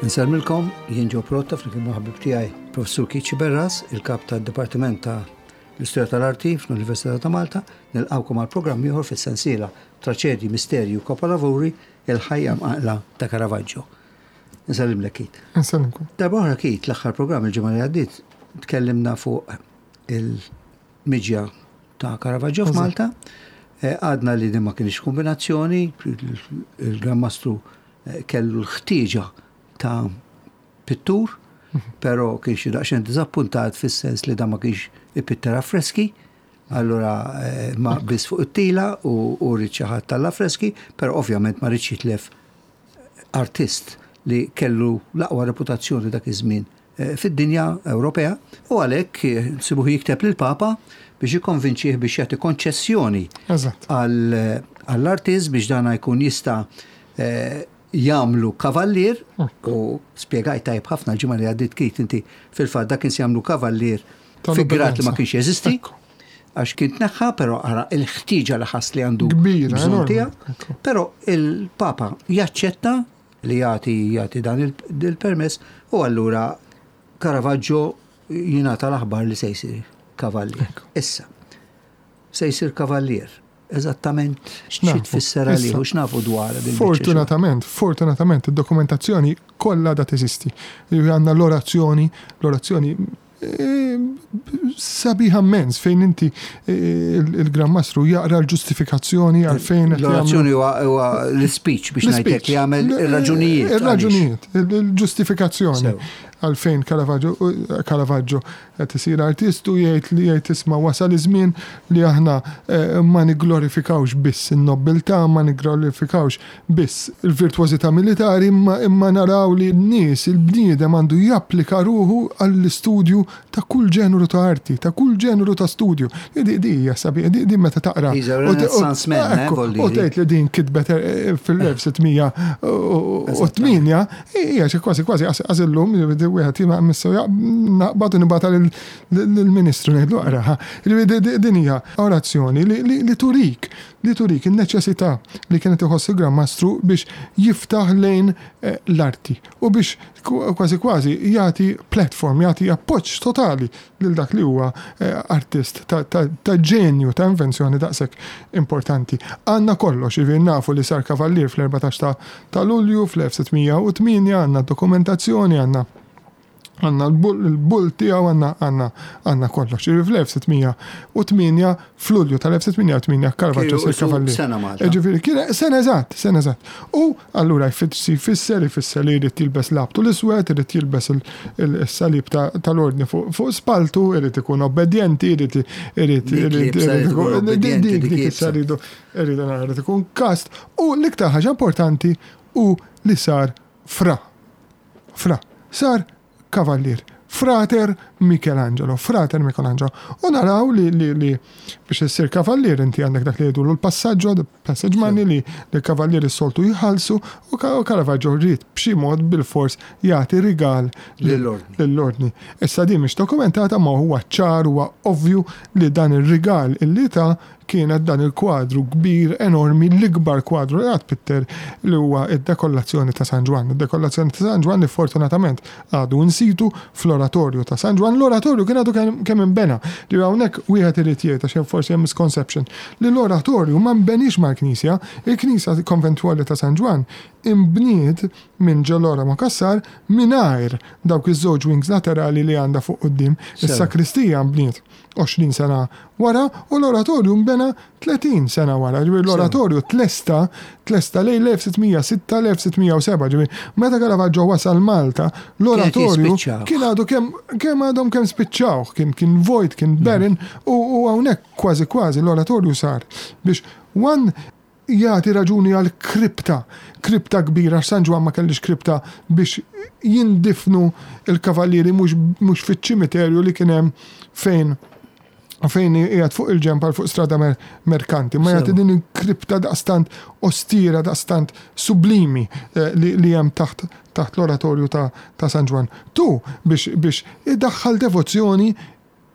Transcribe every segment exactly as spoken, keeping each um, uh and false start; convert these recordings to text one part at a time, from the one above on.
Insellmilkom, jien Joe Pirotta flimkien ma' ħabib tiegħi Professur Keith Sciberras, il-kap tad-Dipartiment ta' l-Istorja tal-Arti fl-Università ta' Malta, nilqawkom għal programm ieħor fis-sensiela Traċedji, Misterji u Kapolavuri, il-ħajja mqanqla ta' Caravaggio. Nsellimlek, Keith. Nsellimkom. Darba oħra, Keith, l-aħħar programm il-ġimgħa li għaddiet tkellimna fuq il-miġja ta' Caravaggio f'Malta. Eh, Għadna li din ma kienx kombinazzjoni, il-Gran Mastru eh, kellu l-ħtieġa ta' pittur, però kien xi daqsxejn diżappuntat fis-sens li dan ma kienx ipitter affreski, allura eh, ma biss fuq it-tila u u ried xi ħadd tal-affreski, però ovvjament ma riedx jitlef artist li kellu l-aqwa reputazzjoni dak iż-żmien eh, fid-dinja Ewropea u għalhekk eh, nsibuh jikteb lill-Papa biex jikkonvinċih biex jagħti konċessjoni Eżatt. għall- għall-artist biex dana jkun jista' eh, jagħmlu kavallier u spjegajt tajjeb ħafna l-ġimgħa li għaddiet, Keith, inti fil-fatt dak kien se jagħmlu kavallier fi grad li ma Tal-obbedjenza. kienx jeżisti Ekku. għax kien tneħħa, però ara il-ħtieġa li ħass li għandu Kbira, bżonn enormi. tiegħu. Ekku. Però il-Papa jaċċetta li jagħti jagħti dan il- il-permess u allura Caravaggio jingħata l-aħbar li se jsir kavallier. Issa, se jsir kavallier. Eżattament xi X'nafu? tfisser għalih Issa. u x'nafu dwar din il-biċċa xogħol? Fortunatament, fortunatament, id-dokumentazzjoni kollha da teżisti. Għandna l-orazzjoni, l-orazzjoni eh, sabiħa immens fejn inti eh, il- il-Gran Mastru jaqra l-ġustifikazzjoni għalfejn qed jagħmlu- L-orazzjoni huwa huwa l-speech biex ngħidlek li jagħmel ir-raġunijiet. Il-raġunijiet, il-ġustifikazzjoni Sew. għalfejn Caravaggio Caravaggio qed isir artist u jgħid li jgħid, "Isma', wasal iż-żmien li aħna eh, ma nigglorifikawx biss in-nobiltà, ma nigglorifikawx biss il-virtuożità militari, imma imma naraw li n-nies, il-bniedem għandu japplika ruħu għall-istudju ta' kull ġenru ta' arti, ta' kull ġenru ta' studju." Di di hija sabiħa, di di meta taqra. He's a U te- u- Renaissance man, eh, ekku, vuol U dire. tgħid li din kitbet eh, fil-elf sitt mija u tmienja, hija xi kważi kważi għażillum wieħed jima missu naqbad u nibgħatha lill-Ministru ngħidlu aqraha. Ġifieri din hija orazzjoni li- li li turik li turik in-neċessità li kienet iħoss il-Gran Mastru biex jiftaħ lejn eh, l-arti u biex kważi kważi jagħti platform, jagħti appoġġ totali lil dak li huwa eh, artist ta' ta' ta' ġenju, ta' invenzjoni daqshekk importanti. Għandna kollox, jiġifieri nafu li sar kavallier fl-erbatax ta' ta' Lulju fl-elf sitt mija u tmienja, għandna dokumentazzjoni, għandna għandna l-bull tiegħu, għandna għandna għandna kollox. Jiġifieri fl-elf sitt mija u tmienja, fl-Lulju tal-elf sitt mija u tmienja Caravaggio Kienu sar isu kavallier. sena Malta. Ġifieri kien sena eżatt, sena eżatt. U allura jfisser jfisser jfisser li jrid jilbes labtu l-iswed, irid jilbes il- il-salib ta- tal-ordni fuq fuq spaltu, irid ikun obbedjenti, irid irid Dik li irid jibsa irid irid ikun ikun obbedjenti, dik dik dik jibsa. issa rridu irridu nara irid ikun kast. U l-iktar ħaġa importanti u li sar fra. Fra. Sar kavallier. Frater Michelangelo, Frater Michelangelo. U naraw li, li, li biex issir kavallier inti għandek dak li jgħidu l-passaggio, the passage money li li kavallier is-soltu jħallsu u Ka- u Caravaggio rrid b'xi mod bil-fors jagħti rigal Lill-ordni. lill-ordni. Issa din mhix dokumentata, ma huwa ċar, huwa ovvju li dan ir-rigal illi ta kienet dan il-kwadru kbir enormi, l-ikbar kwadru li qatt pitter, li huwa id-dekollazzjoni ta' San Ġwann. Id-dekollazzjoni ta' San Ġwann li fortunatament għadu in situ fl-oratorju ta' San Ġwann. L-oratorju kien għadu kemm kemm inbena. Li hawnhekk wieħed irid jgħid, għax hemm forsi hemm misconception, li l-oratorju ma nbenix mal-knisja. Il-knisja konventwali ta' San Ġwann imbniet minn Ġeloramo Cassar mingħajr dawk iż-żewġ wings laterali li għandha fuq quddiem. Sew. Is-sakristija nbniet għoxrin sena wara u l-oratorju nbena tletin sena wara. Ġifieri l-oratorju tlesta tlesta lejn l-elf sitt mija u sitta, l-elf sitt mija u sebgħa. Ġifieri meta Caravaggio wasal Malta, l-oratorju jispiċċaw. kien għadu kemm kemm għadhom kemm spiċċawh, kien kien vojt, kien barren u u hawnhekk kważi kważi l-oratorju sar biex one jagħti raġuni għal kripta, kripta kbira, għax San Ġwann ma kellix kripta biex jindifnu il-kavallieri mhux mhux fiċ-ċimiterju li kien hemm fejn fejn qiegħed fuq il-ġenb għal fuq strada mer merkanti, ma jagħti Sew. din il-kripta daqstant ostira, daqstant sublimi eh, li, li hemm taħt taħt l-oratorju ta', ta' San Ġwann. Tu biex biex idaħħal devozzjoni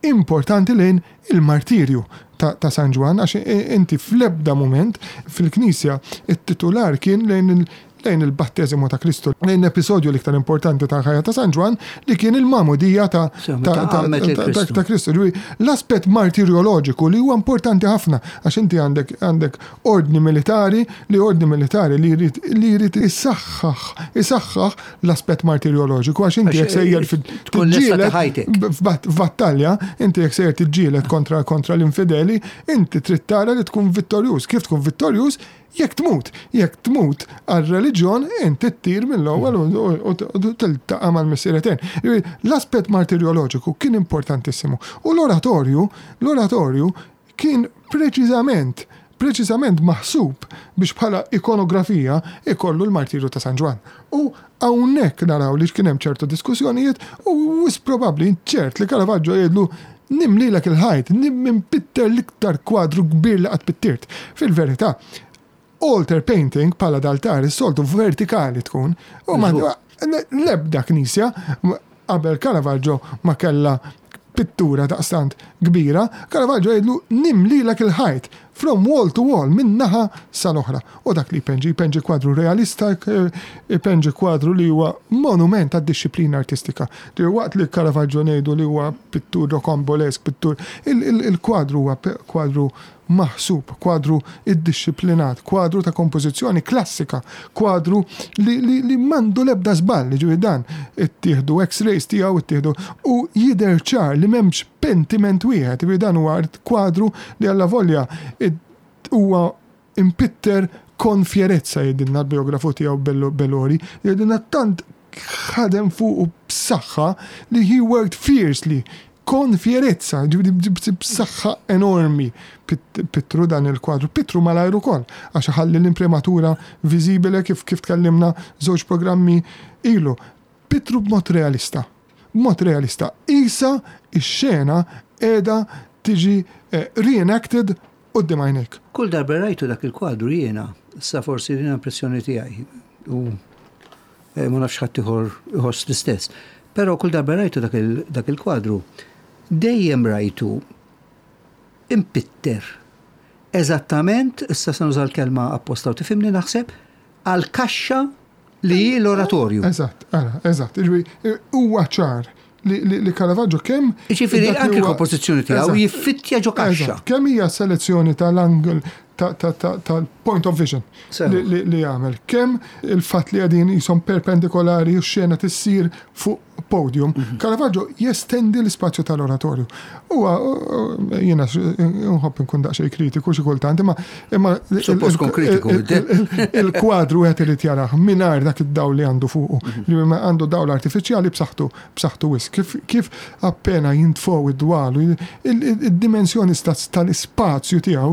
importanti lejn il-martirju ta', ta' San Ġwann, għax i- inti fl-ebda moment fil-knisja it-titular kien lejn il- lejn il-batteżimu ta' Kristu, lejn episodju l-iktar importanti ta' ħajja ta' San Ġwann li kien il-magħmudija ta' ta' Kristu. L-aspett martirjoloġiku li huwa importanti ħafna għax inti għandek għandek ordni militari li ordni militari li jrid li jrid isaħħaħ isaħħaħ l-aspett martirjoloġiku għax inti jekk sejjer f'battalja, inti jekk sejjer tiġġieled kontra kontra l-infideli, inti trid tara li tkun vittorjuż. Kif tkun vittorjuż? Jekk tmut, jekk tmut għal-reliġjon, inti ttir mill-ewwel u tiltaqa' mal-Missier Etern. L-aspett martirjoloġiku kien importantissimu. U l-oratorju, l-oratorju kien preċiżament preċiżament maħsub biex bħala ikonografija ikollu l-martirju ta' San Ġwann. U hawnhekk naraw li kien hemm ċertu diskussjonijiet u wisq probabbli ċert li Caravaggio jgħidlu nimlilek il-ħajt, nimpitter l-iktar kwadru kbir li qatt pittirt. Fil-verità, altar painting bħala d'altar is-soltu vertikali tkun u ma l-ebda knisja qabel Caravaggio ma kella pittura daqstant kbira, Caravaggio jgħidlu nimlilek il-ħajt from wall to wall, minn naħa sal-oħra. U dak li jpenġi, jpenġi kwadru realista, jpenġi kwadru li huwa monument għad-disciplina artistika. Li waqt li Caravaggio ngħidu li huwa pittur rocambolesk, pittur, il-kwadru huwa kwadru maħsub, kwadru iddixxiplinat, kwadru ta' kompożizzjoni klassika, kwadru li, li, li m'għandu lebda żball, ġifieri dan ittieħdu x-rays tiegħu ittieħdu u jidher ċar li m'hemmx pentiment wieħed, ġifieri dan huwa kwadru li alla volja huwa impitter con fierezza jgħidilna l-biografu tiegħu Bellori, jgħidilna tant ħadem fuq b'saħħa li he worked fiercely con fierezza, b'saħħa enormi pittru dan il-kwadru. Pittru malajr ukoll, għax ħalli l-imprimatura viżibile kif kif tkellimna żewġ programmi ilu. Pittru b'mod realista. B'mod realista. Isa ix-xena qiegħda tiġi reenacted quddiem għajnejk. Kull darba rajtu dak il-kwadru jiena, sa forsi din impressjoni tiegħi u ma nafx ħadd ieħor iħoss l-istess. Però kull darba rajtu dak il-kwadru, dejjem rajtu impitter. Eżattament, issa se nuża l-kelma apposta u tifhimni naħseb, għal kaxxa li l-oratorju. Eżatt, ara, eżatt. Huwa ċar li Caravaggio kemm. Ġifieri anke l-kompożizzjoni tiegħu jiffittja ġo kaxxa. Kemm hija selezzjoni tal-angle tal-point of vision li jagħmel. Kemm il-fatt li qegħdin jisom perpendikolari u xena tissir fuq podium, Caravaggio jestendi l-ispazju tal-oratorju. Huwa jiena nħobb nkun daqsxejn kritiku xi kultant, imma imma il-kwadru qed irid jarah mingħajr dak id-dawl li għandu fuqu. Li għandu dawl artifiċjali b'saħħtu b'saħħtu wisq. Kif kif appena jintfgħu id-dwalu, id-dimensjoni tal-ispazju tiegħu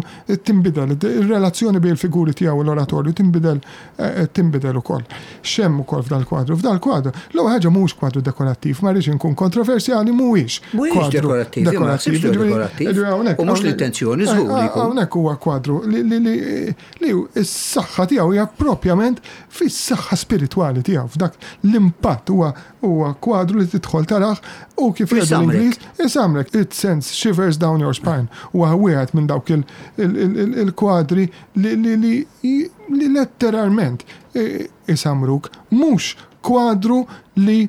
tinbidel, il-relazzjoni bejn il-figuri tiegħu u l-oratorju tinbidel tinbidel ukoll. X'hemm ukoll f'dal kwadru? F'dal kwadru, l-ewwel ħaġa mhux kwadru dekorattiv, ma rridx inkun kontroversjali, mhuwiex kwadru dekorattiv. U mhux l-intenzjoni żgur li jkun. Hawnhekk huwa kwadru li li s-saħħa tiegħu hija propjament fis-saħħa spiritwali tiegħu, f'dak l-impatt huwa huwa kwadru li tidħol tarah u kif jgħidu l-Ingliż isamrek, it sends shivers down your spine. Huwa wieħed minn dawk il-kwadri li li letteralment isamruk, mhux kwadru li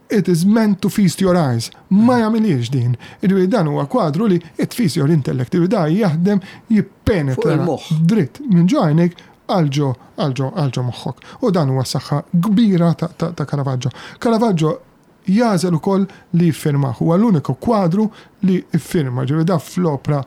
it is meant to feast your eyes. Ma jagħmilix din. Ġifieri dan huwa kwadru li it feast your intellect. Ġifieri da jaħdem jippenetra dritt minn ġo għajnejk għal ġo għal ġo għal ġo moħħok. U dan huwa saħħa kbira ta' Caravaggio. Caravaggio jagħżel ukoll li jiffirmah. Huwa l-uniku kwadru li ffirma. Ġifieri da fl-opra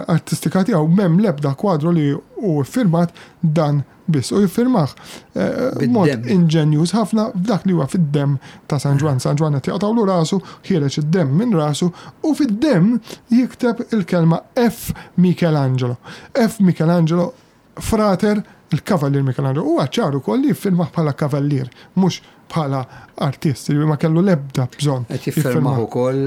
artistika tiegħu m'hemm l-ebda kwadru li hu ffirmat dan biss. U jiffirmah b'mod inġenjuż ħafna f'dak li huwa fid-demm ta' San Ġwann. San Ġwann qed jaqtgħulu rasu, ħiereġ id-demm minn rasu u fid-demm jikteb il-kelma F. Michelangelo. F. Michelangelo, frater il-Kavallier Michelangelo. Huwa ċar ukoll li jiffirmah bħala kavallier, mhux bħala artist, li ma kellu l-ebda bżonn. Qed jiffirmah ukoll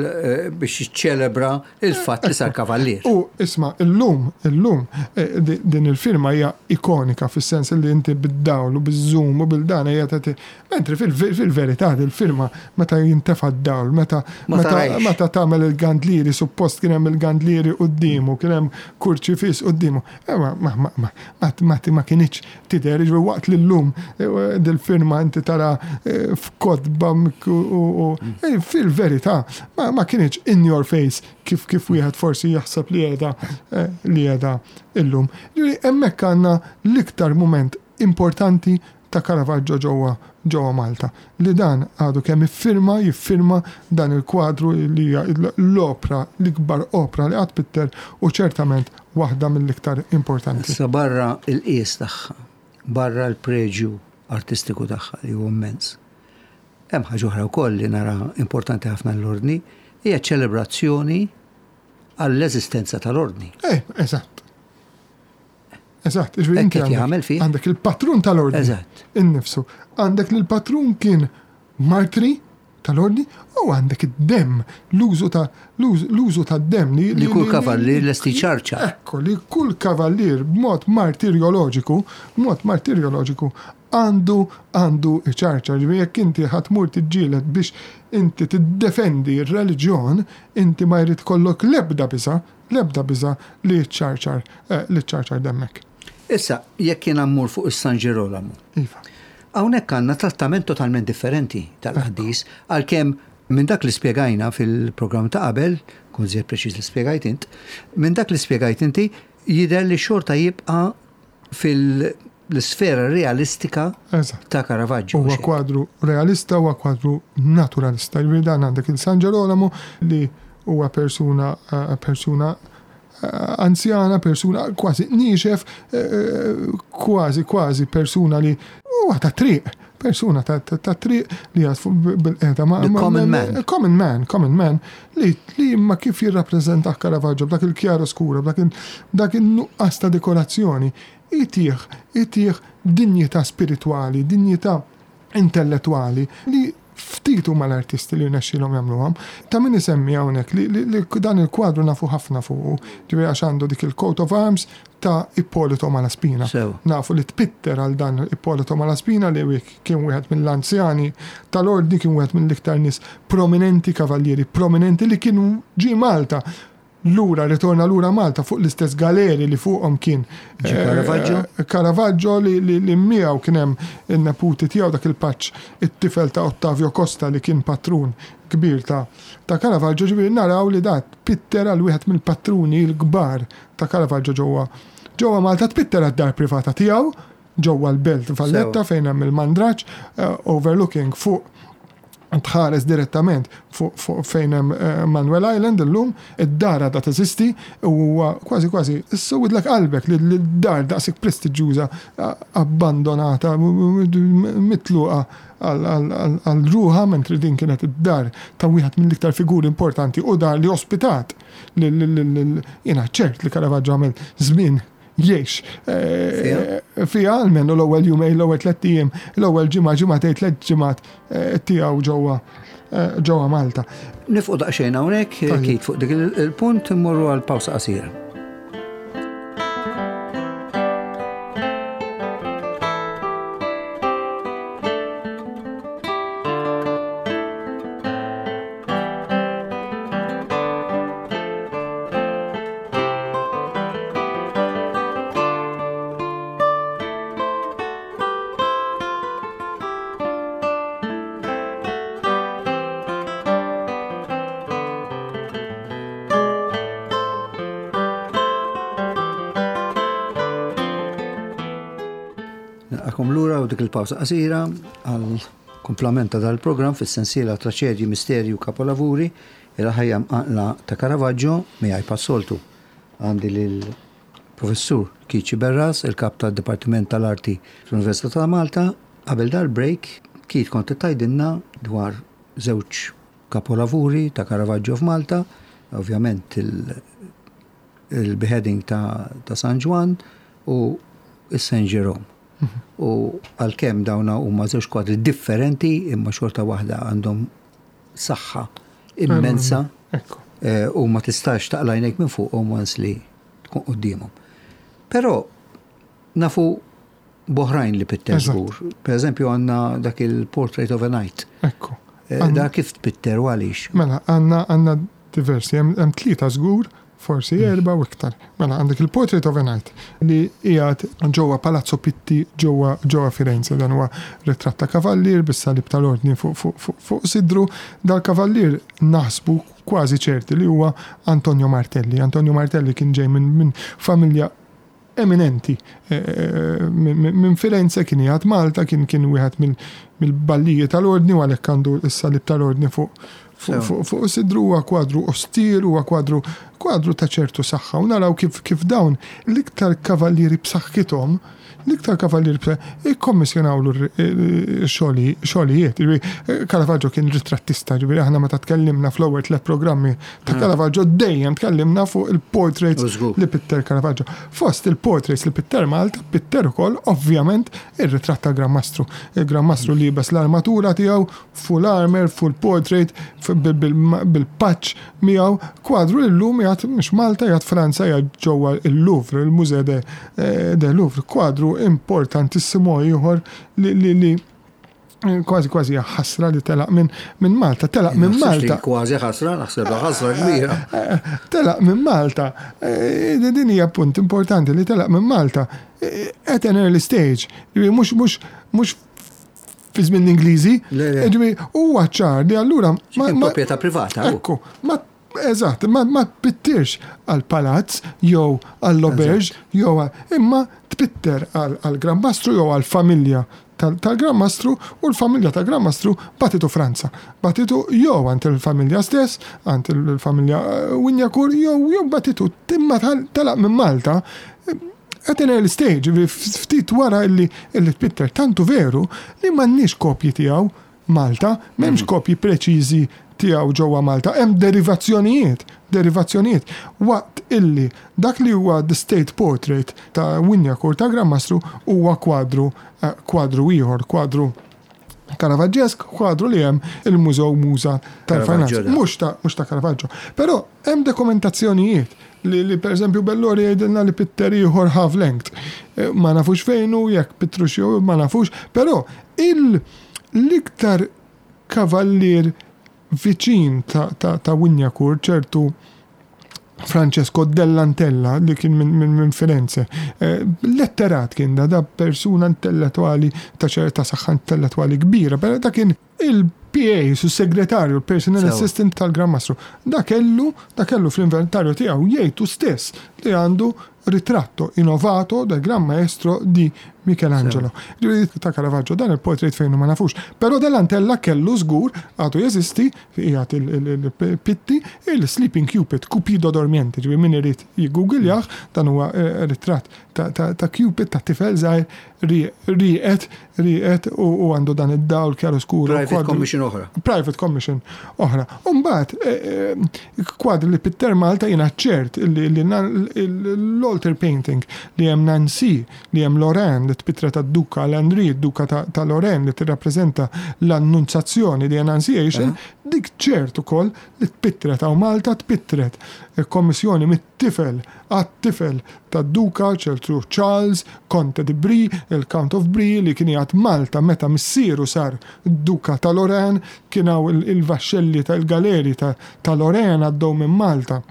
biex jiċċelebra il-fatt li sar kavallier. U isma', illum, illum din il-firma hija ikonika fis-sens li inti bid-dawl u biż-zoom u bil-dan hija tagħti. Mentri fil-verità il-firma meta jintefa' d-dawl, meta meta tagħmel il-gandlieri, suppost kien hemm il-gandlieri quddiemu, kien hemm kurċifiss quddiemu. Ma kienx tidher, jiġifieri waqt li llum dil-firma inti tara f'kotba u fil-verità ma kienx in your face kif kif wieħed forsi jaħseb li qiegħda li qiegħda illum. Ġifieri hemmhekk għandna l-iktar mument importanti ta' Caravaggio ġewwa ġewwa Malta. Li dan għadu kemm iffirma, jiffirma dan il-kwadru li hija l-opra, l-ikbar opra li qatt pitter u ċertament waħda mill-iktar importanti. Issa barra il-qies tagħha, barra l-preġju artistiku tagħha li huwa immens. Hemm ħaġa oħra wkoll li nara importanti ħafna l-ordni, hija ċelebrazzjoni għall-eżistenza tal-ordni. Eh, eżatt. Eżatt, jiġifieri inti għandek il-patrun tal-ordni. Eżatt. Innifsu. Għandek li l-patrun kien martri tal-ordni u għandek id-dem, l-użu ta' l-użu tad-dem li li kull kavallier lesti ċarċa. Ekku, li kull kavallier b'mod martirjoloġiku, b'mod martirjoloġiku għandu għandu ċarċa. Ġifieri jekk inti ħa tmur tiġġieled biex inti tiddefendi r-reliġjon, inti ma jrid kollok l-ebda biża, l-ebda biża li ċarċar li ċarċar demmek. Issa, jekk jiena mmur fuq is-San Ġirolamo. Iva. Hawnhekk għandna trattament totalment differenti tal-qaddis, għalkemm minn dak li spjegajna fil-programm ta' qabel, kun żjed preċiż li spjegajt int, minn dak li spjegajt inti jidher li xorta jibqa' fil-sfera realistika ta' Caravaggio. Huwa kwadru realista, huwa kwadru naturalista. Jiġifieri dan għandek il-San Ġerolamo li huwa persuna persuna anzjana, persuna kważi niexef, kważi kważi persuna li huwa ta' triq, persuna ta' triq li għad bil-qeda ma' common man. Common man, common man, li li imma kif jirrappreżenta Caravaggio b'dak il-kjaro skura, b'dak in-nuqqas ta' dekorazzjoni, itih, itih dinjità spiritwali, dinjità intellettwali li ftit huma l-artisti li rnexxielhom jagħmluhom. Ta' min isemmi hawnhekk li, li, li dan il-kwadru nafu ħafna fuqu, ġifieri għax għandu dik il-coat of arms ta' Ippolito Malaspina. So. Nafu li tpitter għal dan Ippolito Malaspina li kien wieħed mill-anzjani tal-ordni, kien wieħed mill-iktar nies prominenti, kavallieri prominenti li kienu ġie Malta. Lura, ritorna lura Malta fuq l-istess galeri li fuqhom kien Caravaggio, Caravaggio li, li, li miegħu kien hemm in-neputi tiegħu dak il-paċ it-tifel ta' Ottavio Costa li kien patrun kbir ta' ta' Caravaggio. Ġifieri naraw li dat pitter għal wieħed mill-patruni l-kbar ta' Caravaggio ġewwa ġewwa Malta, tpitter għad-dar privata tiegħu ġewwa l-Belt Valletta fejn hemm il-Mandraġġ, overlooking fuq tħares direttament fuq fu fejn hemm Manuel Island illum, id-dar għadha teżisti u huwa kważi kważi issewidlek qalbek li d-dar daqshekk prestiġjuża abbandonata, mitluqa għal ruħa, mentri din kienet id-dar ta' wieħed mill-iktar figuri importanti u dar li ospitat jiena ċert li Caravaggio għamel żmien jiex fija almenu l-ewwel jumejn, l-ewwel tliet ijiem, l-ewwel ġimgħa, ġimgħatejn, tliet ġimgħat tiegħu ġewwa ġewwa Malta. Nifqu daqsxejn hawnhekk, Kit, fuq dik il-punt immorru għal pawsa qasira. Dik il-pawsa qasira għal komplement ta' dal-programm fis-sensiela Traċedji, Misterju, Kapolavuri, il-ħajja mqanqla ta' Caravaggio miegħi passoltu. Għandi lil professur Keith Sciberras, il-kap tad-Dipartiment tal-Arti fl-Università ta' Malta. Qabel dal-break, Keith kont tgħidilna dwar żewġ kapolavuri ta' Caravaggio f'Malta, ovvjament il-beheading ta', ta' San Ġwann u s-Saint Jerome. U għalkemm dawna huma żewġ kwadri differenti, imma xorta waħda għandhom saħħa immensa. Eh, u ma tistax taqla' għajnejk minn fuqhom once li tkun quddiemhom. Però nafu b'oħrajn li pitter żgur. Per eżempju, għandna dak il-Portrait of a Knight. Ekku. Eh, da kif tpitter u għaliex? Mela, għandna għandna diversi, hemm tlieta żgur, forsi mm. erba u iktar. Mela, għandek il-Portrait of a Knight li qiegħed ġewwa Palazzo Pitti, ġewwa ġewwa Firenze. Dan huwa ritratt ta' kavallier bis-salib tal-ordni fuq fu, fu, fuq sidru. Dal-kavallier naħsbu kważi ċerti li huwa Antonio Martelli. Antonio Martelli kien ġej minn min familja eminenti eh, eh, minn Firenze, kien jgħat Malta, kien kien wieħed mill-ballijiet tal-ordni u għalhekk għandu s-salib tal-ordni fuq fuq sidru. Huwa kwadru ostir, huwa kwadru kwadru ta' ċertu saħħa u naraw kif kif dawn l-iktar kavallieri b'saħħithom, l-iktar kavallieri ikkommissjonawlu xogħlijiet. Caravaggio kien ritrattista, ġifieri aħna meta tkellimna fl-ewwel tliet programmi ta' mm. Caravaggio dejjem tkellimna fuq il-portraits li pitter Caravaggio. Fost il-portraits li pitter Malta, pitter ukoll ovvjament ir-ritratt ta' Gran Mastru. Il-Gran Mastru liebes l-armatura tiegħu, full armor, full portrait, bil-patch miegħu, kwadru illum jgħat mhux Malta, jgħat Franza, jgħat ġewwa il-Louvre, il-Musée de, eh, de Louvre, kwadru importantissimo ieħor li, li, li kważi kważi ħasra li telaq minn min Malta, telaq minn Malta. Kważi ħasra, naħseb ħasra kbira. Telaq minn Malta. Eh, din hija punt importanti li telaq minn Malta eh, at an early stage. Mhux mhux mhux fi żmien l-Ingliżi. Ġifieri huwa ċar li allura ma proprjetà privata. Ekku, ma eżatt, ma, ma tpittirx għal palazz jew għall auberge jew imma tpitter għal Gran Mastru jew għal familja tal-Gran Mastru u l-familja tal-Gran Mastru bagħtitu Franza. Bagħtitu jew għand il-familja stess, għand il-familja eh, Wignacourt, jew jew bagħtitu imma telaq minn Malta at an early stage, ftit wara illi illi tpitter, tantu veru li m'għandniex kopji tiegħu Malta, m'hemmx mm. kopji preċiżi tiegħu ġewwa Malta, hemm derivazzjonijiet, derivazzjonijiet. Waqt illi dak li huwa the state portrait ta' Wignacourt ta' Gran Mastru huwa kwadru eh, kwadru ieħor, kwadru Caravaggesque, kwadru li hemm il-Mużew Muża tal-Finanz. Mhux ta' mhux ta' Caravaggio. Però hemm dokumentazzjonijiet li, li per eżempju Bellori jgħidilna li pitter ieħor half length. Eh, ma nafux fejnu, jekk pittru jew ma nafux, però il l-iktar kavallier viċin ta', ta, ta' Wignacourt, ċertu Francesco Dell'Antella li kien minn min, min Firenze. Eh, letterat kien da, da persuna intellettuali ta' ċerta saħħa intellettuali kbira, però da kien il-P A, su segretarju, il-personal assistant tal-Gran Mastru. Da kellu, da kellu fl-inventarju tiegħu, jgħidu stess li għandu ritratto in ovato del Gran Maestro di Michelangelo. Ta' Caravaggio dan il-portrait fejn ma nafux. Però Dell'Antella kellu żgur, għadu jeżisti, qiegħed il-Pitti, il-Sleeping Cupid, Cupido dormiente, ġifieri min irid jiggoogliah, dan huwa eh, ritratt ta' Cupid, ta' tifel żgħir rieqed, rieqed u għandu dan id-dawl chiaroscuro. Private commission oħra. Private commission oħra. Umbagħad, eh, eh, kwadri li pitter Malta, jiena ċert l-altar painting li hemm Nancy, li hemm Lorraine, li tpittret tad-Duka Landry, Duka ta' Lorraine, li tirrappreżenta l-Annunzazzjoni di Annunciation, dik ċert ukoll li tpittret hawn Malta, tpittret kommissjoni mit-tifel għat-tifel tad-Duka, ċertu Charles, Conte di Brie, il-Count of Brie, li kien jgħat Malta meta missieru sar Duka ta' Lorraine, kien hawn il-vaxxelli tal-galeri ta' Lorraine għaddew minn Malta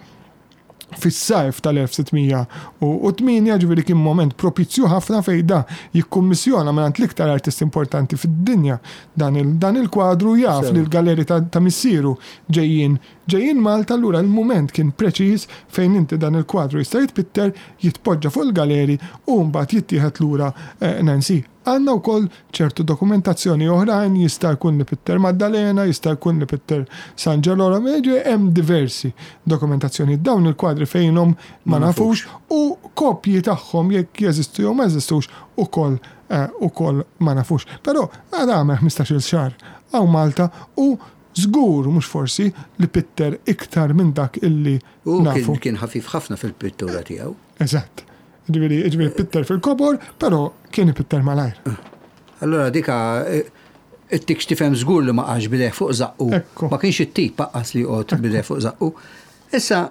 fis-sajf tal-elf sitt mija u tmienja, ġifieri kien moment propizju ħafna fejn da jikkummissjona minn l-iktar artist importanti fid-dinja dan il-kwadru, jaf li l-galeri ta' missieru ġejjin ġejjin Malta, allura il-moment kien preċiż fejn inti dan il-kwadru jista' jitpitter, jitpoġġa fuq il-galeri u mbagħad jittieħed lura eh, Nancy. Għandna wkoll ċertu dokumentazzjoni oħrajn, jista' jkun li pitter Maddalena, jista' jkun li pitter San Ġerolamo, hemm diversi dokumentazzjoni. Dawn il-kwadri fejnhom ma nafux u kopji tagħhom jekk jeżistu jew ma jeżistux ukoll eh, ukoll ma nafux. Però għada għamel ħmistax-il xahar hawn Malta u żgur, mhux forsi, li pitter iktar minn dak illi nafu. Kien ħafif ħafna fil-pittura tiegħu. Eżatt. Ġifieri ġifieri pitter fil-kobor, però kien ipitter malajr. Allora dika it-tik tifhem żgur li ma qagħadx b'idejh fuq żaqqu. Ekku. Ma kienx it-tip lanqas li joqgħod b'idejh fuq żaqqu. Issa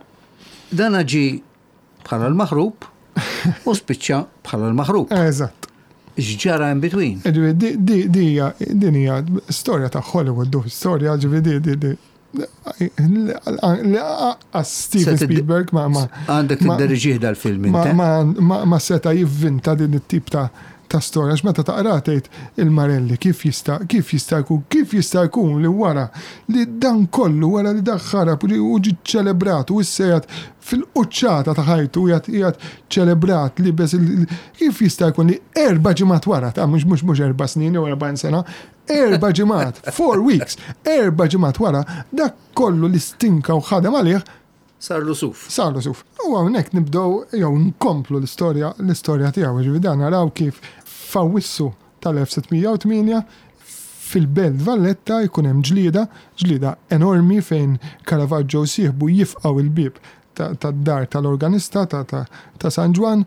dan ġi bħala l-maħrub u spiċċa bħala l-maħrub. Eżatt. X'ġara in between? Ġifieri di- di- di hija din hija storja ta' Hollywood, du storja ġifieri di di di li lanqas Steven Se tiddi- Spielberg ma ma Għandek ma- tidderieġih dal-film ma, inti. ma, ma, ma seta jivvinta din it-tip ta' ta' storja, għax meta taqra tgħid il-Marelli kif jista' kif jista' jkun kif jista' jkun li wara li dan kollu wara li dan ħarab u ġi- u ġi ċelebrat u issa qiegħed fil-quċċata ta' ħajtu qiegħed qiegħed ċelebrat li bes il- kif jista' jkun li erba' ġimgħat wara ta' mhux mhux mhux erba' snin jew erbgħin sena, erba' ġimgħat, four weeks, erba' ġimgħat wara dak kollu li stinka u ħadem għalih Sarlu suf. Sarlu suf. U hawnhekk nibdew jew nkomplu l-istorja l-istorja tiegħu, ġifieri dan naraw kif f'Awwissu tal-elf sitt mija u tmienja fil-Belt Valletta jkun hemm ġlieda, ġlieda enormi fejn Caravaggio u sieħbu jifqgħu il-bib tad-dar tal-organista ta' ta' ta' San Ġwann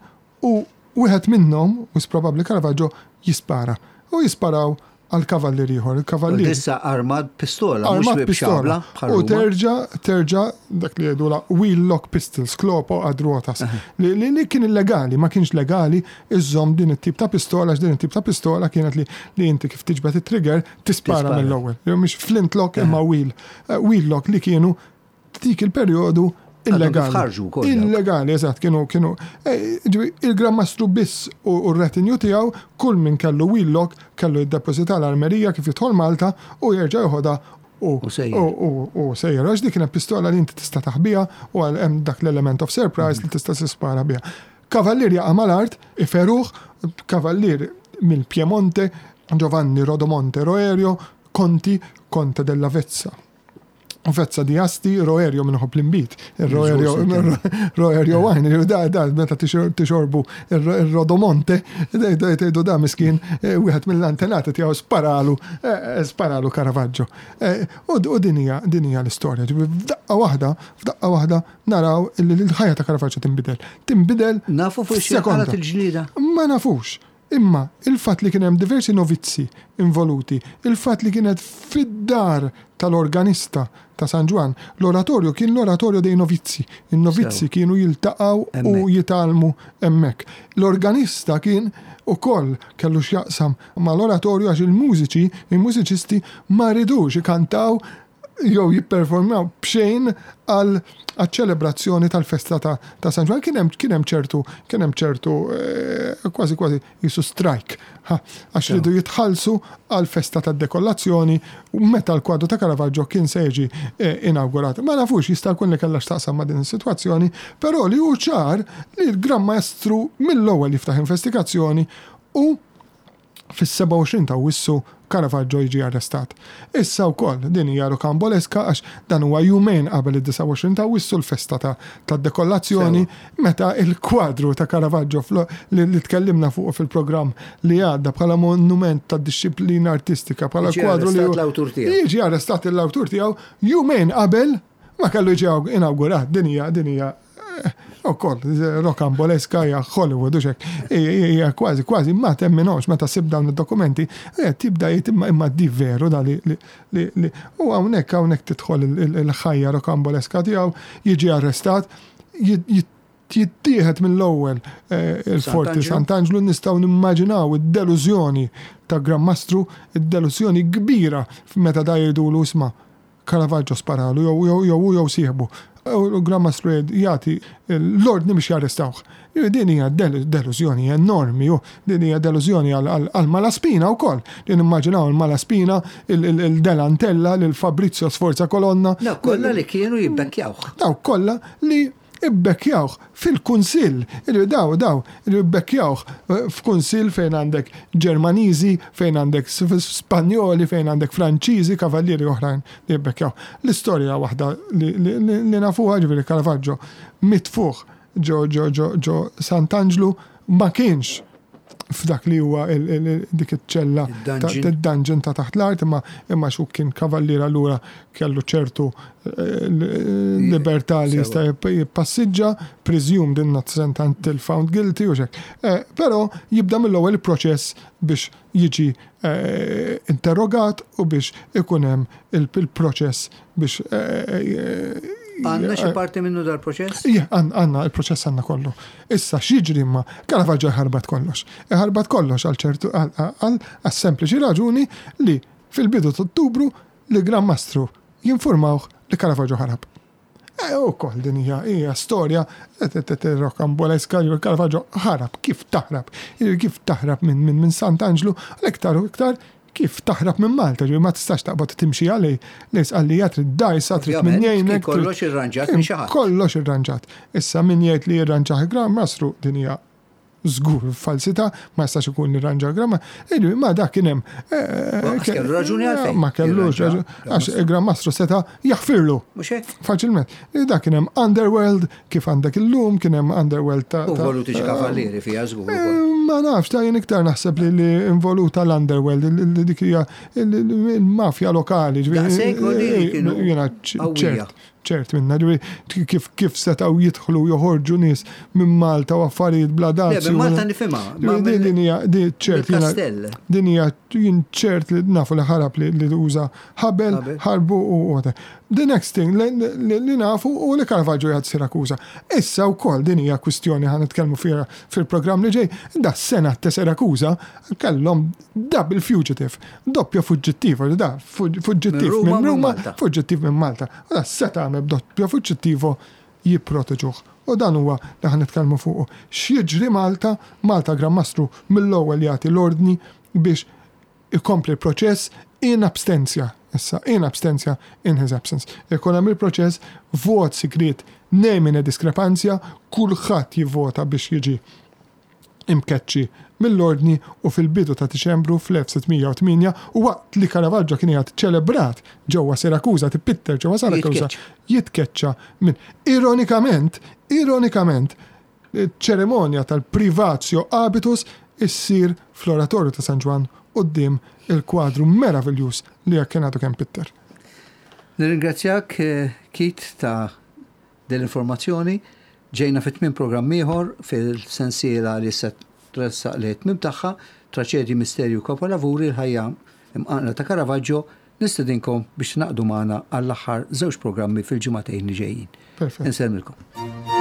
u wieħed minnhom, u probabbli Caravaggio, jispara. U jisparaw għal kavallier ieħor. Il-kavallier Issa armat pistola, mhux armat b'xabla pistola. bħal U Ruma. terġa, terġa, dak li jgħidu la wheel lock pistols, sclopo ad ruotas. Li, li, li kien illegali, ma kienx legali, iżżomm din it-tip ta' pistola, għax din it-tip ta' pistola kienet li, li inti kif tiġbed it-trigger tispara Tispara. mill-ewwel. Jew mhix flint lock imma wheel. Eh, Wheel lock li kienu dik il-perjodu illegali. kif ħarġu wkoll dawk. Illegali, eżatt, kienu kienu eh, ġifieri, il-Gran Mastru biss u u r-retinju tiegħu, kull min kellu wheel lock kellu jiddeposita l-armerija kif jidħol Malta u jerġa' joħodha u U sejjer. u u u sejjer. Għax dik kienet pistola li inti tista' taħbiha u għal hemm dak l-element of surprise li tista' tispara biha. Kavallier jaqa' mal-art, iferuh, kavallier mill-Piemonte, Giovanni Rodomonte Roerio, Conti, Conte della Vezza. Vezza di Asti, Roerio minn iħobb l-inbid. Il-Roerio Roerio wine, da, da, meta tixor- tixorbu il-Rodomonte, tgħidu da miskin, eh, wieħed mill-antenati tiegħu sparalu, eh, sparalu Caravaggio. Eh, U u din hija din hija l-istorja. Ġifieri f'daqqa waħda, f'daqqa waħda naraw li l-ħajja ta' Caravaggio tinbidel. Tinbidel Nafu fuq xi f'sekonda. qalat il-ġlieda. Ma nafux. Imma il-fatt li kien hemm diversi novizzi involuti, il-fatt li kienet fid-dar tal-organista ta' San Ġwann, l-oratorju kien l-oratorju dei novizzi. Il-novizzi Sew. kienu jiltaqgħu u Hemmhekk. jitgħallmu hemmhekk. L-organista kien ukoll kellu x'jaqsam mal-oratorju għax il-mużiċi, il-mużiċisti ma ridux ikantaw jew jipperformaw b'xejn għal ċelebrazzjoni tal-festa ta', ta' San Ġwann. Kien hemm kien hemm ċertu kien hemm ċertu eh, kważi kważi jisu strike. Ha, għax Sew. ridu jitħallsu għal festa tad-dekollazzjoni u meta l-kwadru ta' Caravaggio kien se jiġi eh, inawgurat. Ma nafux jista' jkun li kellha x'taqsam ma' din is-sitwazzjoni, però li hu ċar li l-Gran Maestru mill-ewwel jiftaħ investigazzjoni u fis-sebgħa u għoxrin ta' Awwissu Caravaggio jiġi arrestat. Issa wkoll din hija rokamboleska għax dan huwa jumejn qabel id-disgħa u għoxrin ta' Awwissu, l-festa ta' tad-dekollazzjoni, meta il-kwadru ta' Caravaggio flo- li, li tkellimna fuq fil-programm li għadda bħala monument ta' disċiplina artistika, bħala Jiġi kwadru li arrestat l-awtur tiegħu. Jiġi arrestat l-awtur tiegħu jumejn qabel ma kellu jiġi inawgurat. Din hija din hija ukoll rokamboleska, hija Hollywood u xek. Hija kważi kważi ma temminhomx meta ssib dawn id-dokumenti, eh, tibda jgħid imma imma di veru da li li li li u hawnhekk hawnhekk tidħol il- il- il-ħajja rokamboleska tiegħu, jiġi arrestat, jit- jit- jittieħed mill-ewwel eh, il-Forti Sant'Angelo. Sant'Angelo. Nistgħu nimmaġinaw id-delużjoni ta' Gran Mastru, id-delużjoni kbira meta da jgħidulu, "Isma', Caravaggio sparalu jew jew jew jew sieħbu." U l-Gran Mastru jgħid- jagħti l-ordni biex jarrestawh. Din hija del- delużjoni enormi, u din hija delużjoni għal għal Malaspina wkoll. Din immaġinaw il-Malaspina, il-Delantella, il-Fabrizio Sforza Colonna. Daw kollha li kienu jibbekkjawh. Daw kollha li ibbekkjawh fil-kunsill, il daw daw li ibbekkjawh eh, f'kunsill fejn għandek Ġermaniżi, fejn għandek Spanjoli, fejn għandek Franċiżi, kavallieri oħrajn li jibbekkjaw. L-istorja waħda li, li, li, li nafuha, ġifieri Caravaggio mitfuħ ġo ġo ġo ġo Sant'Angelo, ma kienx F'dak li huwa dik iċ-ċella dungeon ta' taħt l-art, imma imma xu kien kavalliera, allura kellu ċertu eh, libertà li jista' jippassiġġa, presumed innocent until found guilty u xek. Eh, però jibda mill-ewwel il-proċess biex jiġi eh, interrogat u biex ikun hemm il-proċess biex Għandna xi parti minnu dal-proċess? Ija, għandna il-proċess, għandna kollu. Issa x'jiġri imma? Caravaggio ħarbat kollox. Ħarbat kollox għal ċertu għal sempliċi raġuni li fil-bidu ta' Ottubru li Gran Mastru jinformawh li Caravaggio ħarab. E u koll din hija hija storja rocambolesca. Caravaggio ħarab, kif taħrab? Kif taħrab minn minn minn Sant'Anġlu, l-iktar u iktar kif taħrab minn Malta, ġifieri ma tistax taqbad timxi għalej, lejs għalli trid dajsa, trid min jgħinek. Kollox irranġat minn xi ħadd. Kollox irranġat. Issa min jgħid li irranġat Gran Mastru, din hija żgur falsità, ma jistax ikun irranġa Gran Mastru. Ma dak kien hemm. Kellu raġuni għalfejn. Ma kellux raġuni, għax il-Gran Mastru seta' jaħfirlu. Mhux hekk? Faċilment. Dak kien hemm underworld, kif għandek illum, kien hemm underworld ta' U involuti xi kavallieri fiha żgur. Ma nafx, ta' jien iktar naħseb li li involuta l-underworld, li dik hija il-mafja lokali. Jiena ċert ċert minna, kif kif setgħu jidħlu joħorġu nies minn Malta u affarijiet bla dazju. Minn Malta nifhimha. Din hija ċert. Din hija jien ċert li nafu li ħarab li uża ħabel, ħarbu u the next thing li nafu u li Caravaggio jgħad Sirakusa. Issa wkoll din hija kwistjoni ħa nitkellmu fiha fil-programm li ġej, da sena ta' Sirakusa kellhom double fugitive, doppja fuġġittiv, da fuġġittiv minn Ruma, fuġġittiv minn Malta. U da seta għamel doppja fuġġittivo jipproteġuh. U dan huwa li ħa nitkellmu fuq. X'jiġri Malta? Malta Gran Mastru mill-ewwel jagħti l-ordni biex ikompli l-proċess in absentia. Issa, in absentia, in his absence. Ikun hemm il-proċess, vot sigriet, nemine discrepantia, kulħadd jivvota biex jiġi imkeċċi mill-ordni, u fil-bidu ta' Diċembru fl-elf sitt mija u tmienja, u waqt li Caravaggio kien jgħat ċelebrat ġewwa Sirakusa, tipitter ġewwa Sirakusa, jitkeċċa minn ironikament, ironikament, ċeremonja tal-privatio habitus issir fl-oratorju ta' San Ġwann quddiem il-kwadru meravigliuż li kien għadu kemm pitter. Nirringrazzjak, eh, Keith, ta' dell-informazzjoni. Ġejna fit tmiem programm ieħor fil-sensiela li se tressaq li tmiem tagħha, Traċedji, Misterju, Kapolavuri, l-ħajja imqanqla ta' Caravaggio. Nistedinkom biex naqdu magħna għall-aħħar żewġ programmi fil-ġimagħtejn li ġejjin. Perfett. Insellmilkom.